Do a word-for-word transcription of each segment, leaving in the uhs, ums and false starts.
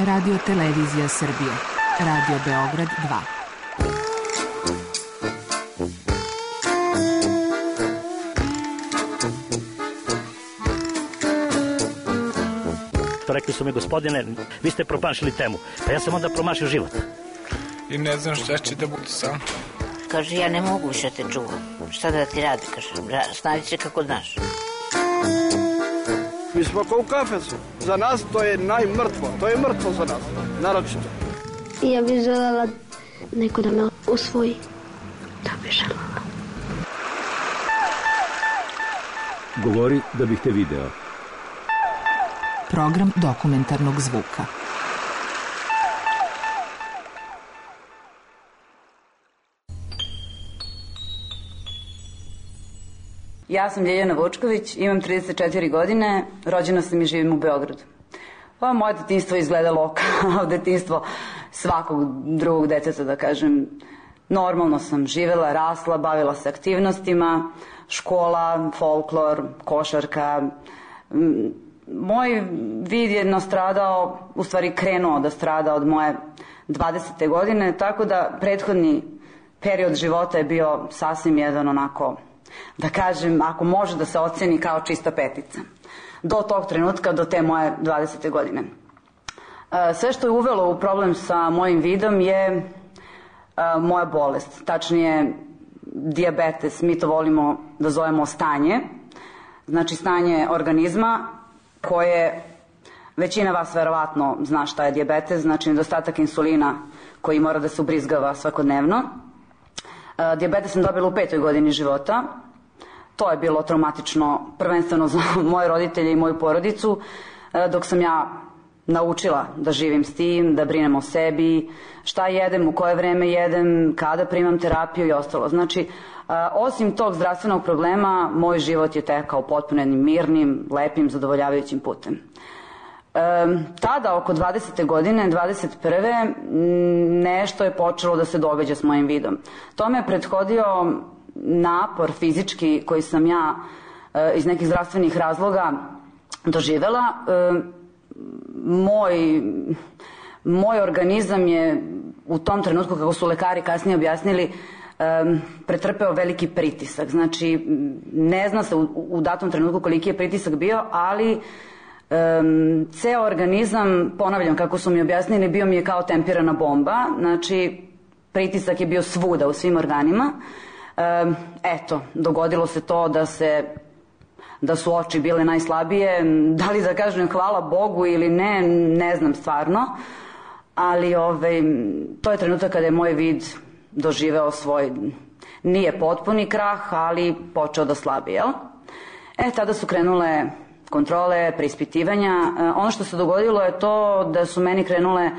Radio Televizija Srbije. Radio Beograd dva. Rekli su mi, gospodine, vi ste promašili temu. Pa ja sam onda promašio život. I ne znam šta će da bude sam. Kaže, ja ne mogu više te čuvam. Šta da ti radi, kaže, snađi se kako znaš. Mi smo kao u kafesu. Za nas to je najmrtvo. To je mrtvo za nas, naročito. Ja bih želela neko da me usvoji. Da bih želela. Govori da bih te video. Program dokumentarnog zvuka. Ja sam Ljiljana Vučković, imam trideset četiri godine, rođena sam i živim u Beogradu. Pa moje detinjstvo izgledalo kao detinjstvo svakog drugog deteta, da kažem. Normalno sam živela, rasla, bavila se aktivnostima, škola, folklor, košarka. Moj vid je nastradao, u stvari krenuo da strada od moje dvadesete godine, tako da prethodni period života je bio sasvim jedan onako, da kažem, ako može da se oceni kao čista petica. Do tog trenutka, do te moje dvadesete godine. Sve što je uvelo u problem sa mojim vidom je moja bolest, tačnije dijabetes, mi to volimo da zovemo stanje, znači stanje organizma koje većina vas verovatno zna šta je dijabetes, znači nedostatak insulina koji mora da se ubrizgava svakodnevno. Dijabetes sam dobila u petoj godini života. To je bilo traumatično prvenstveno za moje roditelje i moju porodicu, dok sam ja naučila da živim s tim, da brinem o sebi, šta jedem, u koje vreme jedem, kada primam terapiju i ostalo. Znači, osim tog zdravstvenog problema, moj život je tekao potpuno jednim mirnim, lepim, zadovoljavajućim putem. Tada, oko dvadesete godine, dvadeset prve nešto je počelo da se događa s mojim vidom. To me je prethodio napor fizički koji sam ja iz nekih zdravstvenih razloga doživela. Moj, moj organizam je u tom trenutku, kako su lekari kasnije objasnili, pretrpeo veliki pritisak. Znači, ne zna se u, u datom trenutku koliki je pritisak bio, ali Um, ceo organizam, ponavljam kako su mi objasnili, bio mi je kao tempirana bomba, znači pritisak je bio svuda u svim organima. Um, eto, dogodilo se to da se da su oči bile najslabije, da li da kažem hvala Bogu ili ne, ne znam stvarno, ali ovaj, to je trenutak kada je moj vid doživeo svoj, nije potpuni krah, ali počeo da slabi, jel? E, tada su krenule kontrole, preispitivanja. Ono što se dogodilo je to da su meni krenule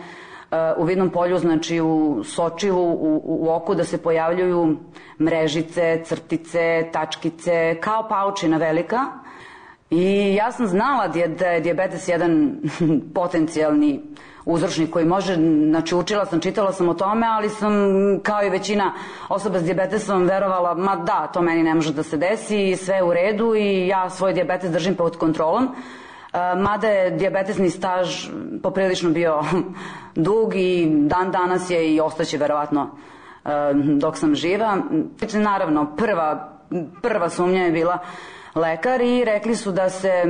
u vidnom polju, znači u sočivu, u, u oku, da se pojavljuju mrežice, crtice, tačkice, kao paučina velika. I ja sam znala da je dijabetes jedan potencijalni uzročnik koji može, znači učila sam, čitala sam o tome, ali sam kao i većina osoba s dijabetesom verovala, ma da, to meni ne može da se desi, sve je u redu i ja svoj dijabetes držim pod kontrolom. Mada je dijabetesni staž poprilično bio dug i dan danas je i ostaće verovatno dok sam živa. Naravno, prva, prva sumnja je bila lekar i rekli su da se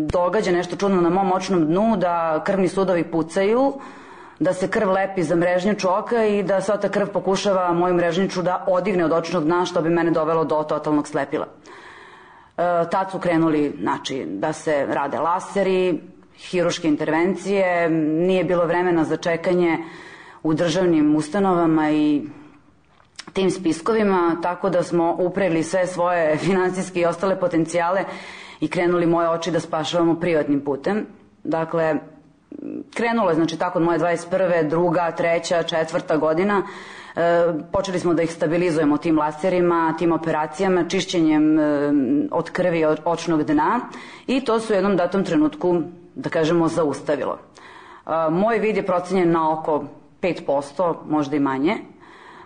događa nešto čudno na mom očnom dnu, da krvni sudovi pucaju, da se krv lepi za mrežnjaču oka i da sva ta krv pokušava moju mrežnjaču da odigne od očnog dna, što bi mene dovelo do totalnog slepila. E, tad su krenuli, znači, da se rade laseri, hiruške intervencije, nije bilo vremena za čekanje u državnim ustanovama i tim spiskovima, tako da smo upreli sve svoje finansijske i ostale potencijale i krenuli moje oči da spašavamo privatnim putem. Dakle, krenulo je, znači, tako od moje dvadeset prve, druga, treća, četvrta godina. E, počeli smo da ih stabilizujemo tim laserima, tim operacijama, čišćenjem e, od krvi od očnog dna i to su u jednom datom trenutku, da kažemo, zaustavilo. E, moj vid je procenjen na oko pet posto, možda i manje.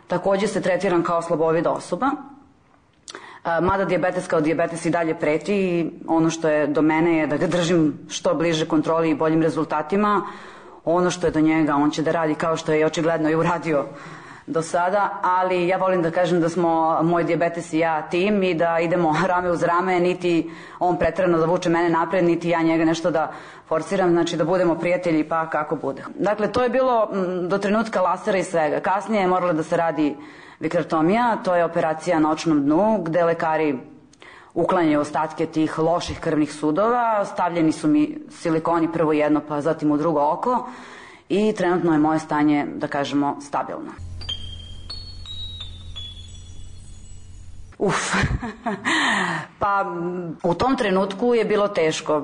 Takođe se tretiram kao slabovida osoba, mada dijabetes kao dijabetes i dalje preti i ono što je do mene je da ga držim što bliže kontroli i boljim rezultatima. ono što je do njega, on će da radi kao što je očigledno i uradio do sada, ali ja volim da kažem da smo moj dijabetes i ja tim i da idemo rame uz rame, niti on preterano da vuče mene napred, niti ja njega nešto da forsiram, znači da budemo prijatelji pa kako bude. Dakle, to je bilo do trenutka lasera i svega. Kasnije je morala da se radi vikretomija, to je operacija na očnom dnu, gde lekari uklanjaju ostatke tih loših krvnih sudova, stavljeni su mi silikoni prvo jedno pa zatim u drugo oko i trenutno je moje stanje, da kažemo, stabilno. Uf, pa u tom trenutku je bilo teško.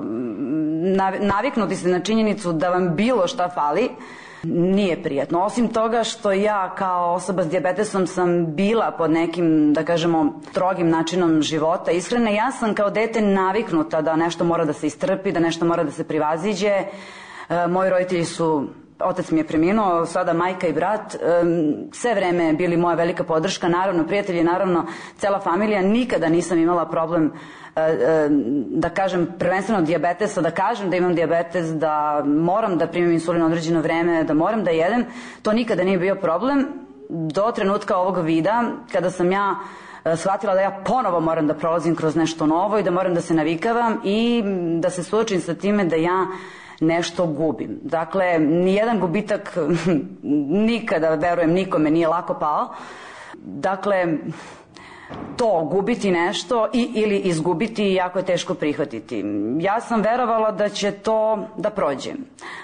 Naviknuti se na činjenicu da vam bilo šta fali nije prijatno. Osim toga što ja kao osoba s dijabetesom sam bila pod nekim, da kažemo, strogim načinom života, ishrane, ja sam kao dete naviknuta da nešto mora da se istrpi, da nešto mora da se privaziđe. E, moji roditelji su, otac mi je preminuo, sada majka i brat, e, sve vreme bili moja velika podrška, naravno prijatelji, naravno cela familija, nikada nisam imala problem da kažem prvenstveno dijabetesa, da kažem da imam dijabetes, da moram da primim insulin određeno vreme, da moram da jedem, to nikada nije bio problem do trenutka ovog vida kada sam ja shvatila da ja ponovo moram da prolazim kroz nešto novo i da moram da se navikavam i da se suočim sa time da ja nešto gubim. Dakle, nijedan gubitak nikada, verujem, nikome nije lako pao. Dakle, to gubiti nešto i ili izgubiti jako je teško prihvatiti. Ja sam verovala da će to da prođe.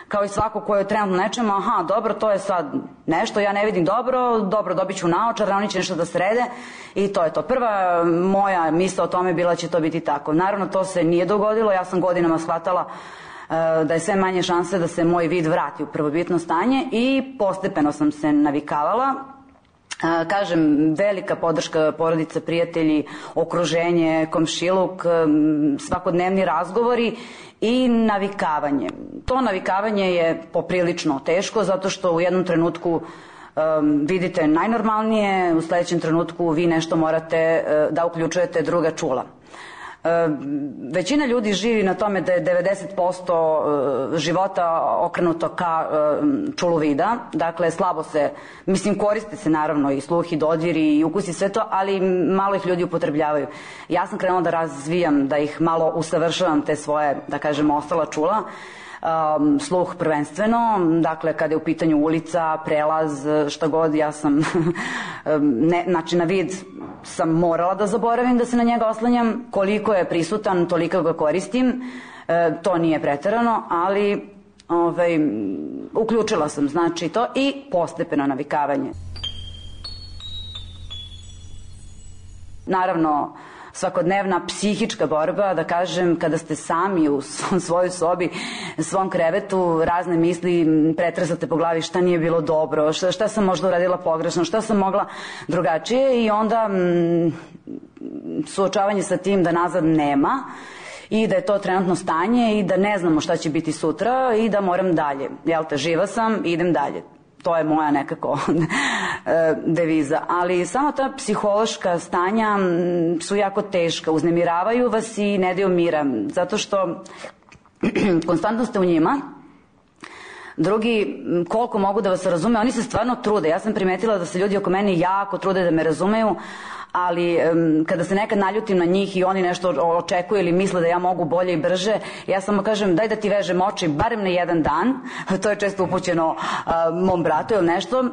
Kao i svako ko je trenutno nečemu, aha, dobro, to je sad nešto, ja ne vidim dobro, dobro, dobit ću naočar, oni će nešto da srede i to je to. Prva moja misla o tome bila će to biti tako. Naravno, to se nije dogodilo, ja sam godinama shvatala da je sve manje šanse da se moj vid vrati u prvobitno stanje i postepeno sam se navikavala. Kažem, velika podrška porodica, prijatelji, okruženje, komšiluk, svakodnevni razgovori i navikavanje. To navikavanje je poprilično teško zato što u jednom trenutku um, vidite najnormalnije, u sledećem trenutku vi nešto morate uh, da uključujete druga čula. Većina ljudi živi na tome da je devedeset posto života okrenuto ka čulu vida, dakle slabo se, mislim koriste se naravno i sluh i dodir i ukus i sve to, ali malo ih ljudi upotrebljavaju. Ja sam krenula da razvijam, da ih malo usavršavam te svoje, da kažem, ostala čula. Um, sluh prvenstveno, dakle kada je u pitanju ulica, prelaz, šta god, ja sam ne, znači na vid sam morala da zaboravim da se na njega oslanjam, koliko je prisutan toliko ga koristim, e, to nije preterano, ali ovaj, uključila sam znači to i postepeno navikavanje. Naravno, svakodnevna psihička borba, da kažem, kada ste sami u svojoj sobi, svom krevetu, razne misli pretresate po glavi šta nije bilo dobro, šta, šta sam možda uradila pogrešno, šta sam mogla drugačije i onda m, suočavanje sa tim da nazad nema i da je to trenutno stanje i da ne znamo šta će biti sutra i da moram dalje. Jel te, živa sam, idem dalje. To je moja nekako deviza. Ali samo ta psihološka stanja su jako teška. Uznemiravaju vas i ne daju mira. Zato što konstantno ste u njima. Drugi, koliko mogu da vas razume, oni se stvarno trude. Ja sam primetila da se ljudi oko mene jako trude da me razumeju, ali um, kada se nekad naljutim na njih i oni nešto očekuju ili misle da ja mogu bolje i brže, ja samo kažem daj da ti vežem oči barem na jedan dan, to je često upućeno uh, mom bratu ili nešto. Um,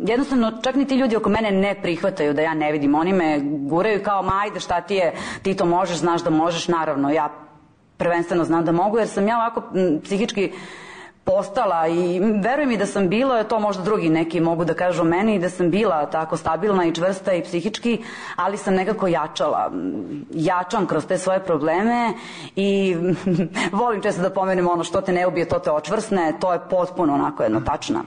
jednostavno čak ni ti ljudi oko mene ne prihvataju da ja ne vidim, oni me guraju kao ma ajde šta ti je, ti to možeš, znaš da možeš, naravno ja prvenstveno znam da mogu jer sam ja ovako m, psihički postala i verujem mi da sam bila, to možda drugi neki mogu da kažu o meni, da sam bila tako stabilna i čvrsta i psihički, ali sam nekako jačala. Jačam kroz te svoje probleme i volim često da pomenem ono što te ne ubije, to te očvrsne, to je potpuno onako jedno tačna.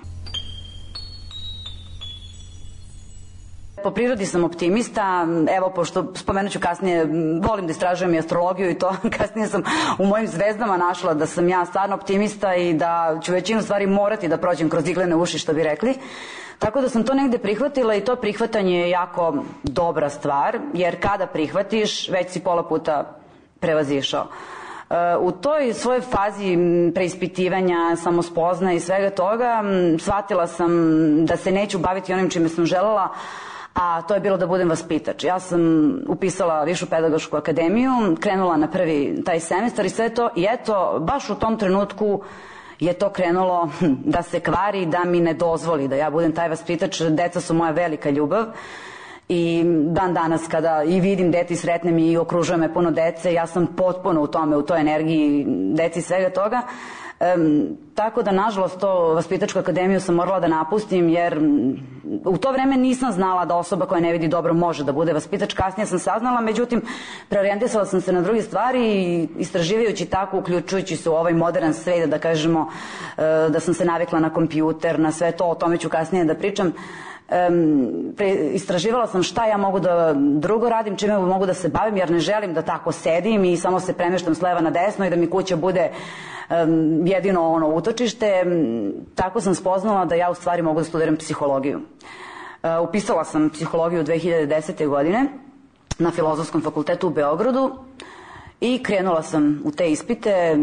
Po prirodi sam optimista, evo pošto spomenut ću kasnije, volim da istražujem i astrologiju i to, kasnije sam u mojim zvezdama našla da sam ja stvarno optimista i da ću većinu stvari morati da prođem kroz iglene uši, što bi rekli. Tako da sam to negde prihvatila i to prihvatanje je jako dobra stvar, jer kada prihvatiš, već si pola puta prevazišao. U toj svojoj fazi preispitivanja, samospozna i svega toga, shvatila sam da se neću baviti onim čime sam želela, a to je bilo da budem vaspitač. Ja sam upisala Višu pedagošku akademiju, krenula na prvi taj semestar i sve to, i eto, baš u tom trenutku je to krenulo da se kvari, da mi ne dozvoli da ja budem taj vaspitač. Deca su moja velika ljubav i dan danas kada i vidim dete i sretnem i okružuje me puno dece, ja sam potpuno u tome, u toj energiji deci i svega toga. Um, tako da, nažalost, to vaspitačku akademiju sam morala da napustim, jer u to vreme nisam znala da osoba koja ne vidi dobro može da bude vaspitač. Kasnije sam saznala, međutim, preorijentisala sam se na druge stvari i istraživajući tako, uključujući se u ovaj modern svet, da kažemo, uh, da sam se navikla na kompjuter, na sve to, o tome ću kasnije da pričam. Um, pre, istraživala sam šta ja mogu da drugo radim, čime mogu da se bavim, jer ne želim da tako sedim i samo se premeštam s leva na desno i da mi kuća bude um, jedino ono utočište. Tako sam spoznala da ja u stvari mogu da studiram psihologiju. Uh, upisala sam psihologiju dve hiljade desete. godine na Filozofskom fakultetu u Beogradu i krenula sam u te ispite.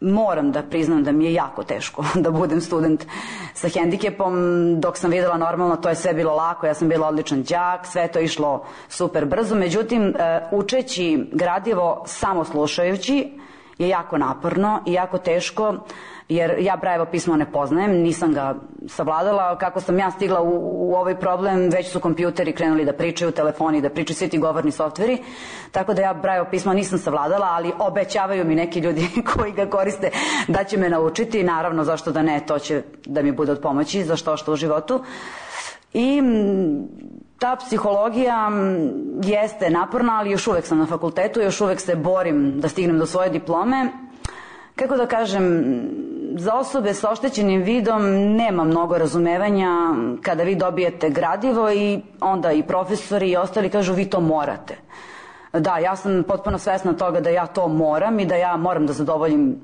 Moram da priznam da mi je jako teško da budem student sa hendikepom. Dok sam videla normalno, to je sve bilo lako, ja sam bila odličan đak, sve to išlo super brzo. Međutim, učeći gradivo samo slušajući je jako naporno i jako teško, jer ja Brajevo pismo ne poznajem, nisam ga savladala. Kako sam ja stigla u, u ovaj problem, već su kompjuteri krenuli da pričaju, telefoni da pričaju, svi ti govorni softveri, tako da ja Brajevo pismo nisam savladala, ali obećavaju mi neki ljudi koji ga koriste da će me naučiti. Naravno, zašto da ne, to će da mi bude od pomoći za što što u životu. I ta psihologija jeste naporna, ali još uvek sam na fakultetu, još uvek se borim da stignem do svoje diplome. Kako da kažem, za osobe sa oštećenim vidom nema mnogo razumevanja kada vi dobijete gradivo i onda i profesori i ostali kažu vi to morate. Da, ja sam potpuno svesna toga da ja to moram i da ja moram da zadovoljim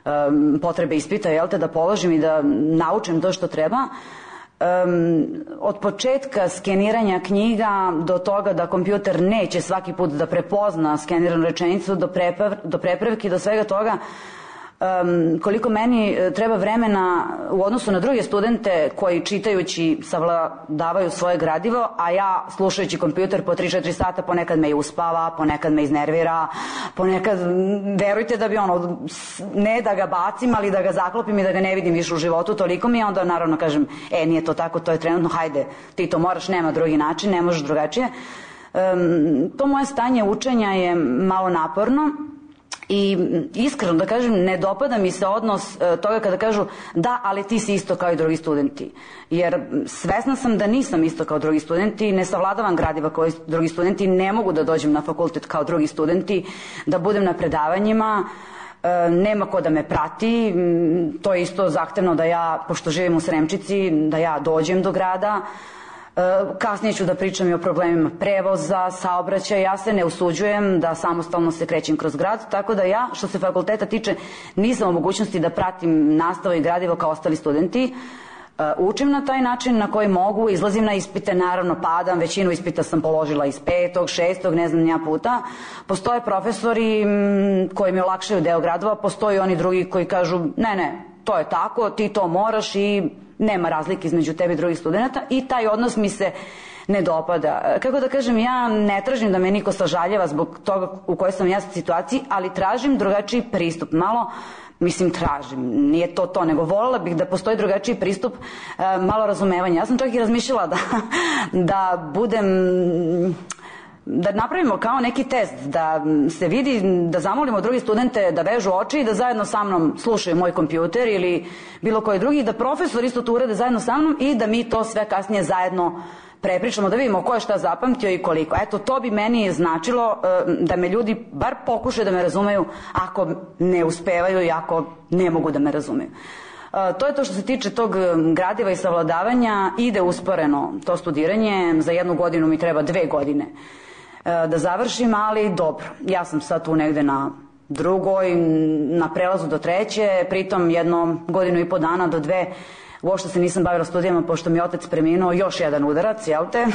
um, potrebe ispita, jel te, da položim i da naučim to što treba. Um, od početka skeniranja knjiga do toga da kompjuter neće svaki put da prepozna skeniranu rečenicu, do, preprav, do prepravki, do svega toga, Um, koliko meni treba vremena u odnosu na druge studente koji čitajući savladavaju svoje gradivo, a ja slušajući kompjuter po tri četiri sata, ponekad me i uspava, ponekad me iznervira, ponekad, verujte da bi ono, ne da ga bacim, ali da ga zaklopim i da ga ne vidim više u životu, toliko mi je, onda naravno kažem, e, nije to tako, to je trenutno, hajde, ti to moraš, nema drugi način, ne možeš drugačije. Um, to moje stanje učenja je malo naporno. I iskreno da kažem, ne dopada mi se odnos e, toga kada kažu da, ali ti si isto kao i drugi studenti. Jer svesna sam da nisam isto kao drugi studenti, ne savladavam gradiva kao i drugi studenti, ne mogu da dođem na fakultet kao drugi studenti, da budem na predavanjima, e, nema ko da me prati. To je isto zahtevno da ja, pošto živim u Sremčici, da ja dođem do grada. Kasnije ću da pričam i o problemima prevoza, saobraćaja. Ja se ne usuđujem da samostalno se krećem kroz grad, tako da ja, što se fakulteta tiče, nisam u mogućnosti da pratim nastavu i gradivo kao ostali studenti. Učim na taj način na koji mogu, izlazim na ispite, naravno padam, većinu ispita sam položila iz petog, šestog, ne znam nija puta. Postoje profesori koji mi olakšaju deo gradova, postoji oni drugi koji kažu ne, ne, to je tako, ti to moraš i nema razlike između tebe i drugih studenta, i taj odnos mi se ne dopada. Kako da kažem, ja ne tražim da me niko sažaljeva zbog toga u kojoj sam ja situaciji, ali tražim drugačiji pristup. Malo, mislim tražim, nije to to, nego voljela bih da postoji drugačiji pristup, malo razumevanja. Ja sam čak i razmišljala da, da budem... da napravimo kao neki test, da se vidi, da zamolimo drugi studente da vežu oči i da zajedno sa mnom slušaju moj kompjuter ili bilo koji drugi, da profesor isto to urede zajedno sa mnom i da mi to sve kasnije zajedno prepričamo, da vidimo ko je šta zapamtio i koliko. Eto, to bi meni značilo da me ljudi bar pokušaju da me razumeju ako ne uspevaju i ako ne mogu da me razumeju. To je to što se tiče tog gradiva i savladavanja. Ide usporeno to studiranje, za jednu godinu mi treba dve godine da završim, ali dobro, ja sam sad tu negde na drugoj, na prelazu do treće, pritom jedno godinu i po dana do dve uopšte se nisam bavila studijama, pošto mi je otac preminuo, još jedan udarac, jel te,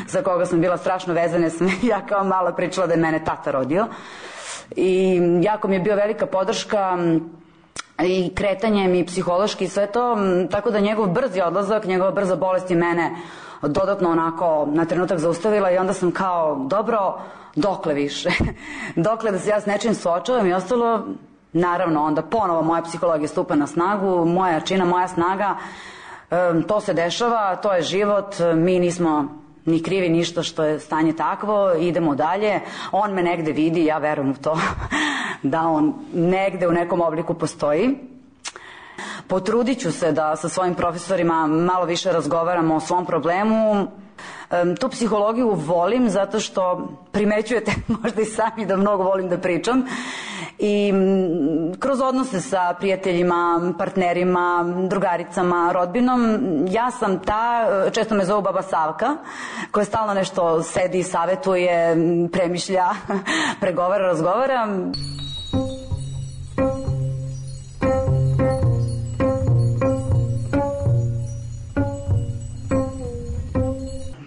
za koga sam bila strašno vezana, sam ja kao mala pričala da je mene tata rodio. i jako mi je bio velika podrška i kretanjem i psihološki i sve to, tako da njegov brzi odlazak, njegova brza bolest je mene dodatno onako na trenutak zaustavila i onda sam kao, dobro, dokle više? Dokle da se ja s nečim suočavam i ostalo, naravno, onda ponovo moja psihologija stupa na snagu, moja jačina, moja snaga, to se dešava, to je život, mi nismo ni krivi ništa što je stanje takvo, idemo dalje, on me negde vidi, ja verujem u to da on negde u nekom obliku postoji. Potrudit ću se da sa svojim profesorima malo više razgovaramo o svom problemu. Tu psihologiju volim zato što primećujete možda i sami da mnogo volim da pričam i kroz odnose sa prijateljima, partnerima, drugaricama, rodbinom, ja sam ta, često me zovu baba Savka, koja stalno nešto sedi, savetuje, premišlja, pregovara, razgovara.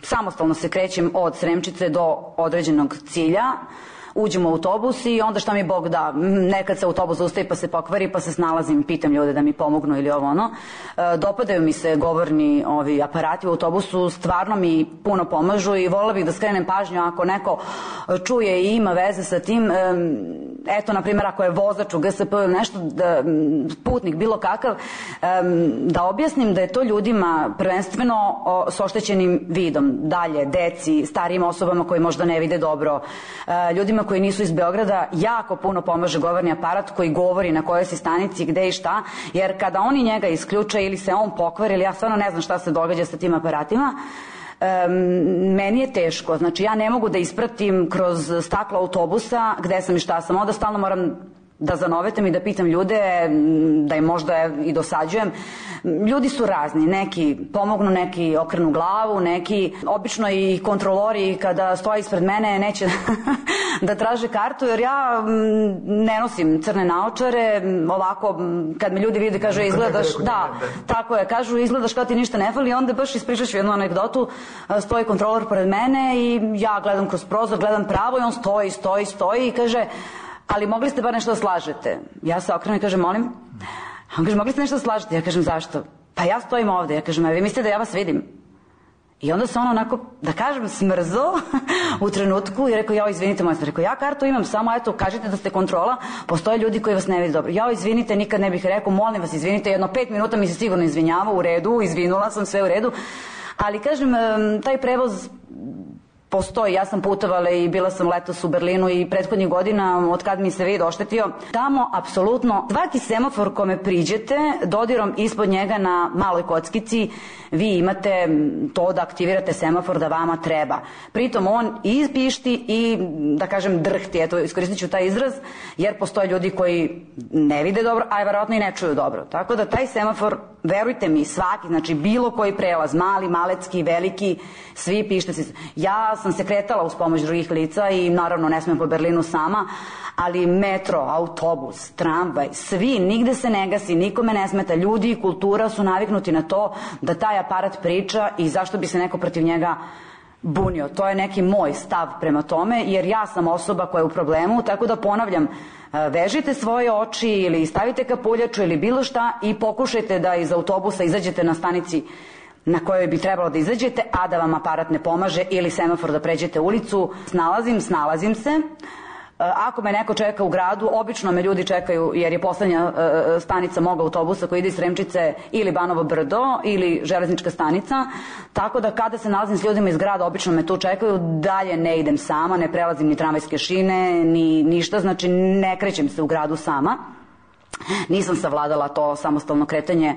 Samostalno se krećem od Sremčice do određenog cilja, uđem u autobus i onda šta mi Bog da, nekad se autobus zaustavi pa se pokvari pa se snalazim, pitam ljude da mi pomognu ili ovo ono. Dopadaju mi se govorni ovi aparati u autobusu, stvarno mi puno pomažu i voljela bih da skrenem pažnju ako neko čuje i ima veze sa tim, eto na primjer ako je vozač u G S P ili nešto, putnik bilo kakav, da objasnim da je to ljudima prvenstveno s oštećenim vidom, dalje deci, starijim osobama koji možda ne vide dobro, ljudima koji nisu iz Beograda, jako puno pomaže govorni aparat koji govori na kojoj si stanici, gde i šta, jer kada oni njega isključe ili se on pokvari, ili ja stvarno ne znam šta se događa sa tim aparatima, um, meni je teško, znači ja ne mogu da ispratim kroz staklo autobusa gde sam i šta sam, onda stalno moram da zanovetam i da pitam ljude, da im možda i dosađujem. Ljudi su razni, neki pomognu, neki okrenu glavu, neki, obično i kontrolori kada stoje ispred mene neće da traže kartu, jer ja ne nosim crne naočare, ovako kad me ljudi vide kažu izgledaš, da, tako je, kažu izgledaš kao ti ništa ne fali, onda baš ispričat ću jednu anegdotu, stoji kontrolor pored mene i ja gledam kroz prozor, gledam pravo i on stoji, stoji, stoji i kaže, ali mogli ste bar nešto da slažete. Ja se okrenem i kažem, molim? On kaže, mogli ste nešto da slažete? Ja kažem, zašto? Pa ja stojim ovde. Ja kažem, a vi mislite da ja vas vidim? I onda se on onako, da kažem, smrzo u trenutku i rekao, jao, izvinite, moja sam rekao, ja kartu imam, samo eto, kažite da ste kontrola, postoje ljudi koji vas ne vidi dobro. Jao, izvinite, nikad ne bih rekao, molim vas, izvinite, jedno pet minuta mi se sigurno izvinjava, u redu, izvinula sam, sve u redu, ali kažem, taj prevoz postoji, ja sam putovala i bila sam letos u Berlinu i prethodnih godina od kad mi se vid oštetio. Tamo apsolutno svaki semafor kome priđete, dodirom ispod njega na maloj kockici vi imate to da aktivirate semafor da vama treba. Pritom on i pišti i da kažem drhti, eto iskoristit ću taj izraz, jer postoje ljudi koji ne vide dobro, a verovatno i ne čuju dobro. Tako da taj semafor, verujte mi, svaki, znači bilo koji prelaz, mali, malecki, veliki, svi pište se. Ja sam se kretala uz pomoć drugih lica i naravno ne smem po Berlinu sama, ali metro, autobus, tramvaj, svi, nigde se ne gasi, nikome ne smeta, ljudi i kultura su naviknuti na to da taj aparat priča i zašto bi se neko protiv njega bunio. To je neki moj stav prema tome, jer ja sam osoba koja je u problemu, tako da ponavljam, vežite svoje oči ili stavite kapuljaču ili bilo šta i pokušajte da iz autobusa izađete na stanici na kojoj bi trebalo da izađete, a da vam aparat ne pomaže ili semafor da pređete ulicu. Snalazim, snalazim se. Ako me neko čeka u gradu, obično me ljudi čekaju jer je poslednja stanica mog autobusa koji ide iz Sremčice ili Banovo Brdo ili železnička stanica, tako da kada se nalazim s ljudima iz grada, obično me tu čekaju, dalje ne idem sama, ne prelazim ni tramvajske šine, ni ništa, znači ne krećem se u gradu sama. Nisam savladala to samostalno kretanje,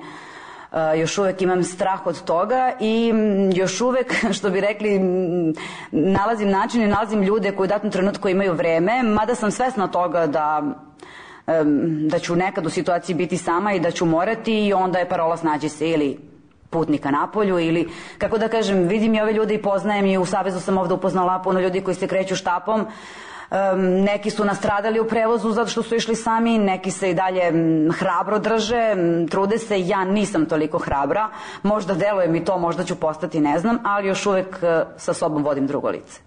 još uvek imam strah od toga i još uvek, što bi rekli, nalazim način i nalazim ljude koji u datom trenutku imaju vreme, mada sam svesna toga da da ću nekad u situaciji biti sama i da ću morati i onda je parola snađi se ili putnika napolju ili, kako da kažem, vidim i ove ljude i poznajem i u Savezu sam ovde upoznala puno ljudi koji se kreću štapom. Um, neki su nastradali u prevozu zato što su išli sami, neki se i dalje m, hrabro drže, m, trude se, ja nisam toliko hrabra, možda deluje mi to, možda ću postati, ne znam, ali još uvek uh, sa sobom vodim drugo lice.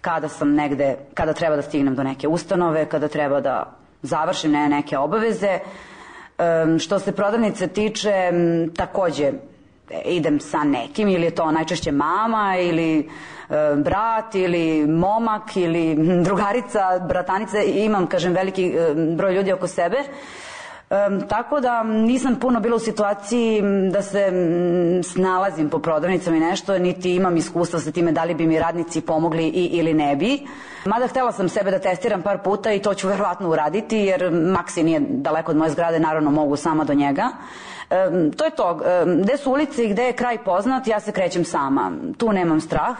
kada sam negde, kada treba da stignem do neke ustanove, kada treba da završim ne, neke obaveze. Um, što se prodavnice tiče, um, takođe idem sa nekim, ili je to najčešće mama ili um, brat ili momak ili drugarica, bratanica, imam, kažem, veliki um, broj ljudi oko sebe. Um, tako da nisam puno bila u situaciji da se um, snalazim po prodavnicama i nešto, niti imam iskustva sa time da li bi mi radnici pomogli i, ili ne bi. Mada htela sam sebe da testiram par puta i to ću verovatno uraditi, jer Maksi nije daleko od moje zgrade, naravno mogu sama do njega. Um, to je to, um, gde su ulice i gde je kraj poznat, ja se krećem sama, tu nemam strah.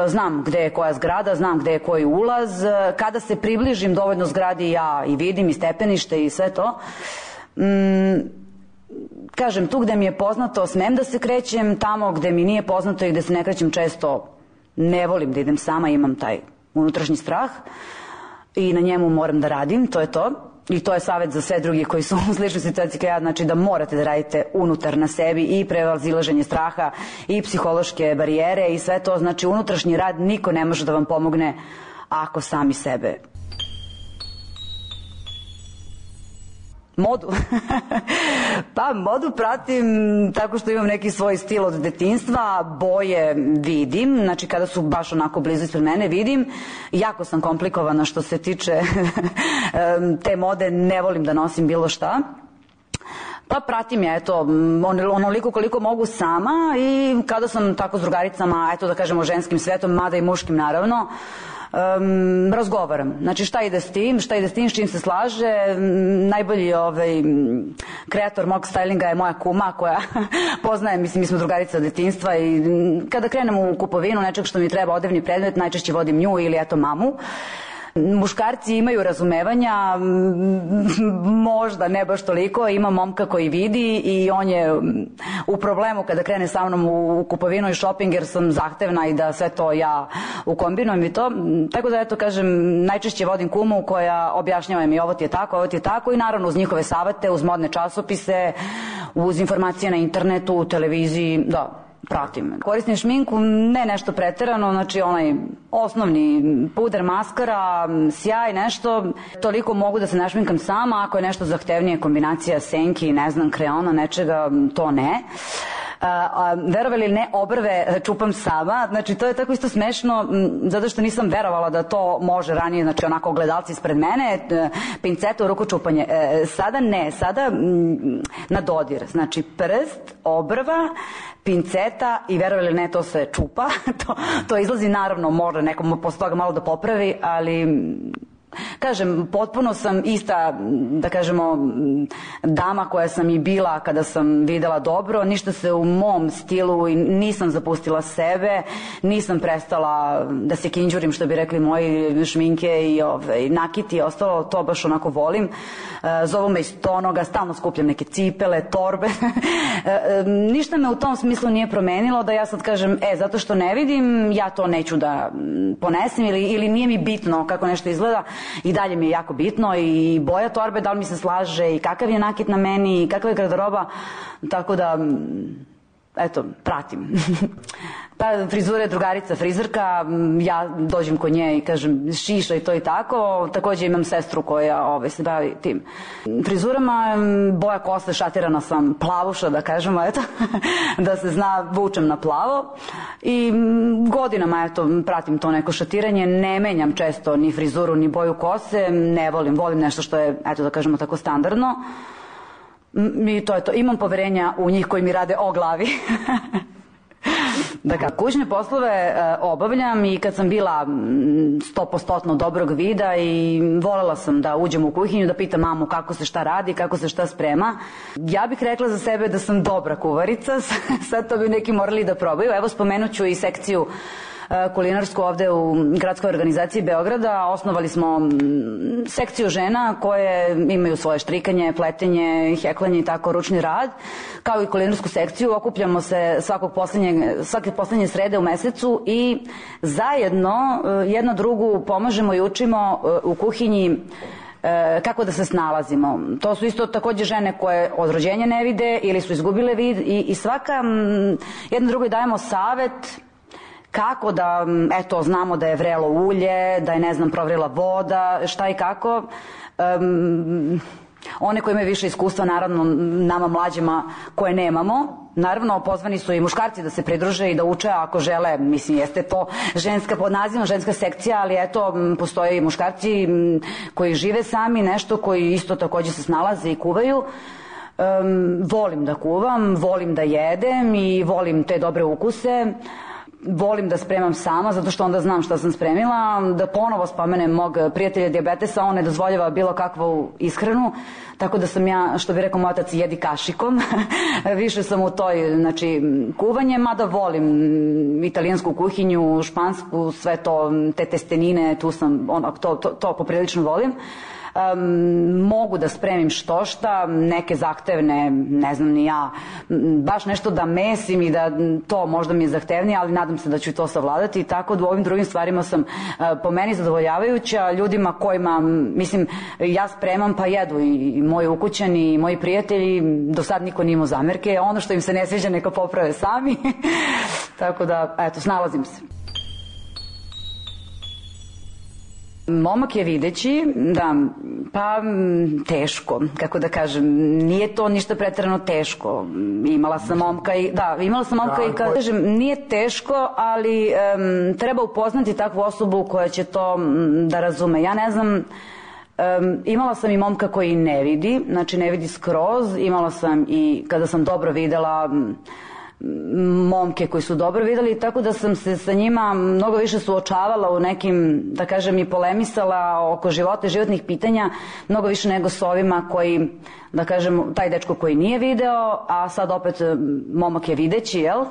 Znam gde je koja zgrada, znam gde je koji ulaz. Kada se približim dovoljno zgradi, ja i vidim i stepenište i sve to. Mm, kažem, tu gde mi je poznato smem da se krećem, tamo gde mi nije poznato i gde se ne krećem često ne volim da idem sama, imam taj unutrašnji strah i na njemu moram da radim, to je to. I to je savjet za sve drugi koji su u sličnoj situaciji kao ja, znači da morate da radite unutar na sebi i prevazilaženje straha i psihološke barijere i sve to, znači unutrašnji rad niko ne može da vam pomogne ako sami sebe. Modu? Pa modu pratim tako što imam neki svoj stil od detinjstva, boje vidim, znači kada su baš onako blizu ispred mene vidim, jako sam komplikovana što se tiče te mode, ne volim da nosim bilo šta. Pa pratim ja, eto, onoliko koliko mogu sama i kada sam tako s drugaricama, eto da kažemo ženskim svetom, mada i muškim naravno, Um, razgovaram. Znači šta ide s tim, šta ide s tim, s čim se slaže. Najbolji ovaj, kreator mog stylinga je moja kuma koja poznaje, mislim, mi smo drugarice od detinjstva i kada krenem u kupovinu nečeg što mi treba, odevni predmet, najčešće vodim nju ili eto mamu. Muškarci imaju razumevanja, možda ne baš toliko, ima momka koji vidi i on je u problemu kada krene sa mnom u kupovinu i shopping jer sam zahtevna i da sve to ja ukombinujem i to. Tako da eto kažem, najčešće vodim kumu koja objašnjava mi ovo ti je tako, ovo ti je tako i naravno uz njihove savete, uz modne časopise, uz informacije na internetu, u televiziji, da. Pratim. Koristim šminku, ne nešto preterano, znači onaj osnovni puder, maskara, sjaj, nešto. Toliko mogu da se našminkam sama, ako je nešto zahtevnije, kombinacija senki, ne znam, kreona, nečega, to ne. A, a, verovali ili ne, obrve čupam sama, znači to je tako isto smešno zato što nisam verovala da to može ranije, znači onako gledalci ispred mene, pinceta u ruku čupanje. E, sada ne, sada m, na dodir, znači prst, obrva, pinceta i verovali ili ne, to se čupa, to, to izlazi, naravno može nekom posle toga malo da popravi, ali kažem, potpuno sam ista, da kažemo, dama koja sam i bila kada sam videla dobro, ništa se u mom stilu i nisam zapustila sebe, nisam prestala da se kinđurim, što bi rekli moji, šminke i ove, nakiti i ostalo, to baš onako volim. Zovu me iz tonoga, stalno skupljam neke cipele, torbe. Ništa me u tom smislu nije promenilo da ja sad kažem, e, zato što ne vidim, ja to neću da ponesem ili, ili nije mi bitno kako nešto izgleda. I dalje mi je jako bitno i boja torbe, da li mi se slaže i kakav je nakit na meni i kakva je garderoba, tako da eto, pratim. Pa frizura je drugarica frizerka, ja dođem kod nje i kažem šiša i to i tako, takođe imam sestru koja ove, se bavi tim frizurama, boja kose, šatirana sam plavuša, da kažemo, eto, da se zna, vučem na plavo i godinama, eto, pratim to neko šatiranje, ne menjam često ni frizuru, ni boju kose, ne volim, volim nešto što je, eto, da kažemo tako, standardno. I to je to, imam poverenja u njih koji mi rade o glavi. Dakle, kućne poslove e, obavljam i kad sam bila sto posto dobrog vida i volela sam da uđem u kuhinju, da pitam mamu kako se šta radi, kako se šta sprema. Ja bih rekla za sebe da sam dobra kuvarica, sad to bi neki morali da probaju. Evo, spomenut ću i sekciju kulinarsku ovde u gradskoj organizaciji Beograda. Osnovali smo sekciju žena koje imaju svoje štrikanje, pletenje, heklanje i tako, ručni rad, kao i kulinarsku sekciju. Okupljamo se svakog poslednjeg, svake poslednje srede u mesecu i zajedno jedna drugu pomažemo i učimo u kuhinji kako da se snalazimo. To su isto takođe žene koje od rođenja ne vide ili su izgubile vid i, i svaka jedna drugoj dajemo savet kako da, eto, znamo da je vrelo ulje, da je, ne znam, provrela voda, šta i kako. Um, one koji imaju više iskustva, naravno, nama mlađima koje nemamo, naravno, pozvani su i muškarci da se pridruže i da uče ako žele, mislim, jeste to ženska, pod nazivom ženska sekcija, ali eto, postoje i muškarci koji žive sami, nešto, koji isto takođe se snalaze i kuvaju. Um, volim da kuvam, volim da jedem i volim te dobre ukuse. Volim da spremam sama, zato što onda znam šta sam spremila. Da ponovo spomenem mog prijatelja dijabetesa, on ne dozvoljava bilo kakvu ishranu, tako da sam ja, što bi rekao moj otac, jedi kašikom. Više sam u toj, znači, kuvanje, mada volim italijansku kuhinju, špansku, sve to, te testenine, tu sam, ono, to, to, to poprilično volim. Um, mogu da spremim što šta, neke zahtevne, ne znam ni ja, baš nešto da mesim i da to možda mi je zahtevnije, ali nadam se da ću to savladati, tako da u ovim drugim stvarima sam uh, po meni zadovoljavajuća. Ljudima kojima, mislim, ja spremam pa jedu i, i moji ukućani i moji prijatelji, do sad niko nije imao zamerke, ono što im se ne sviđa neka poprave sami. Tako da, eto, snalazim se. Momak je videći, da, pa teško, kako da kažem, nije to ništa preterano teško. Imala sam momka i, da, imala sam momka i, kada kažem, nije teško, ali um, treba upoznati takvu osobu koja će to um, da razume. Ja ne znam, um, imala sam i momka koji ne vidi, znači ne vidi skroz, imala sam i, kada sam dobro videla, um, momke koji su dobro videli, tako da sam se sa njima mnogo više suočavala u nekim, da kažem, i polemisala oko života i životnih pitanja, mnogo više nego s ovima koji, da kažem, taj dečko koji nije video, a sad opet momak je videći, jel?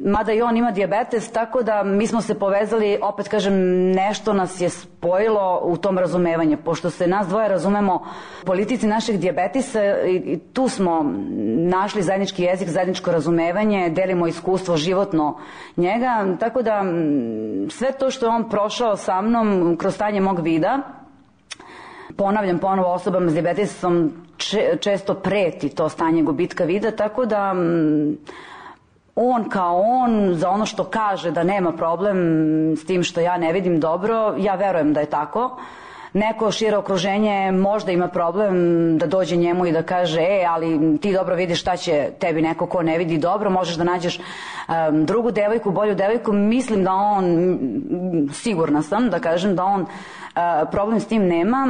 Mada i on ima dijabetes, tako da mi smo se povezali, opet kažem, nešto nas je spojilo u tom razumevanju, pošto se nas dvoje razumemo u politici našeg dijabetisa i, i tu smo našli zajednički jezik, zajedničko razumevanje, delimo iskustvo životno njega, tako da sve to što je on prošao sa mnom kroz stanje mog vida, ponavljam ponovo, osobama s dijabetesom često preti to stanje gubitka vida, tako da on kao on, za ono što kaže da nema problem s tim što ja ne vidim dobro, ja verujem da je tako. Neko šire okruženje možda ima problem da dođe njemu i da kaže, e, ali ti dobro vidiš, šta će tebi neko ko ne vidi dobro, možeš da nađeš um, drugu devojku, bolju devojku. Mislim da on, sigurna sam da kažem da on uh, problem s tim nema.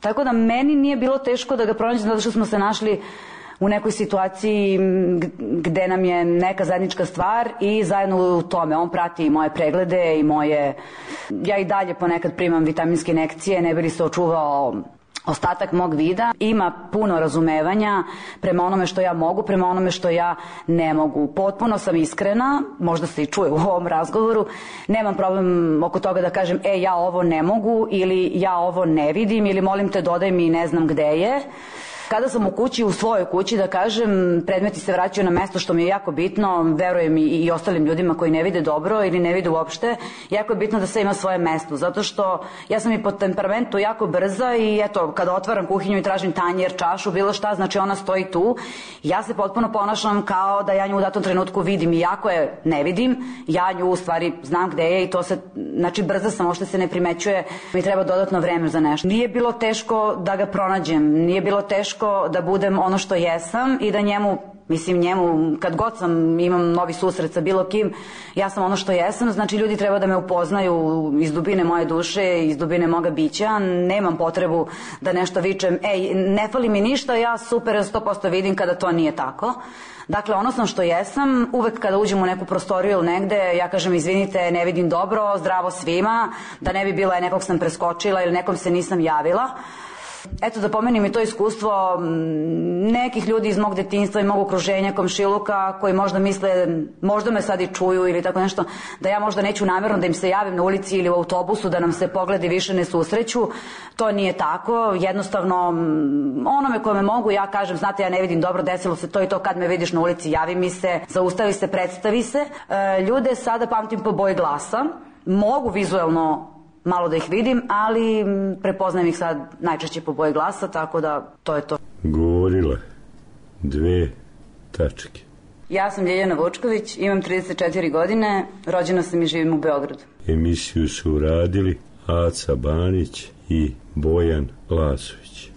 Tako da meni nije bilo teško da ga pronađem, zato što smo se našli u nekoj situaciji gde nam je neka zajednička stvar i zajedno u tome. On prati i moje preglede i moje... Ja i dalje ponekad primam vitaminske injekcije, ne bi li se očuvao ostatak mog vida. Ima puno razumevanja prema onome što ja mogu, prema onome što ja ne mogu. Potpuno sam iskrena, možda se i čuje u ovom razgovoru, nemam problem oko toga da kažem, e, ja ovo ne mogu ili ja ovo ne vidim ili molim te dodaj mi ne znam gde je. Kada sam u kući, u svojoj kući, da kažem, predmeti se vraćaju na mesto, što mi je jako bitno, verujem i, i ostalim ljudima koji ne vide dobro ili ne vide uopšte, jako je bitno da sve ima svoje mesto, zato što ja sam i po temperamentu jako brza i eto, kada otvaram kuhinju i tražim tanjer, čašu, bilo šta, znači ona stoji tu, ja se potpuno ponašam kao da ja nju u datom trenutku vidim i jako je ne vidim, ja nju u stvari znam gde je i to se, znači brza sam, ošte se ne primećuje, mi treba dodatno vreme za nešto. Nije bilo teško da ga pronađem, nije bilo teško da budem ono što jesam i da njemu, mislim njemu, kad god sam imam novi susret sa bilo kim, ja sam ono što jesam, znači ljudi treba da me upoznaju iz dubine moje duše, iz dubine moga bića, nemam potrebu da nešto vičem, ej, ne fali mi ništa, ja super sto posto vidim kada to nije tako. Dakle, ono sam što jesam, uvek kada uđem u neku prostoriju ili negde, ja kažem izvinite, ne vidim dobro, zdravo svima, da ne bi bilo je nekog sam preskočila ili nekom se nisam javila. Eto, da pomenim i to iskustvo nekih ljudi iz mog detinjstva i mog okruženja, komšiluka, koji možda misle, možda me sad i čuju ili tako nešto, da ja možda neću namjerno da im se javim na ulici ili u autobusu, da nam se pogledi više ne susreću. To nije tako, jednostavno onome kome mogu ja kažem, znate, ja ne vidim dobro, desilo se to i to, kad me vidiš na ulici javi mi se, zaustavi se, predstavi se. E, ljude sada pamtim po boji glasa, mogu vizuelno malo da ih vidim, ali prepoznajem ih sad najčešće po boji glasa, tako da to je to. Govorila dve tačke. Ja sam Ljeljana Vučković, imam trideset četiri godine, rođena sam i živim u Beogradu. Emisiju su uradili Aca Banić i Bojan Lasović.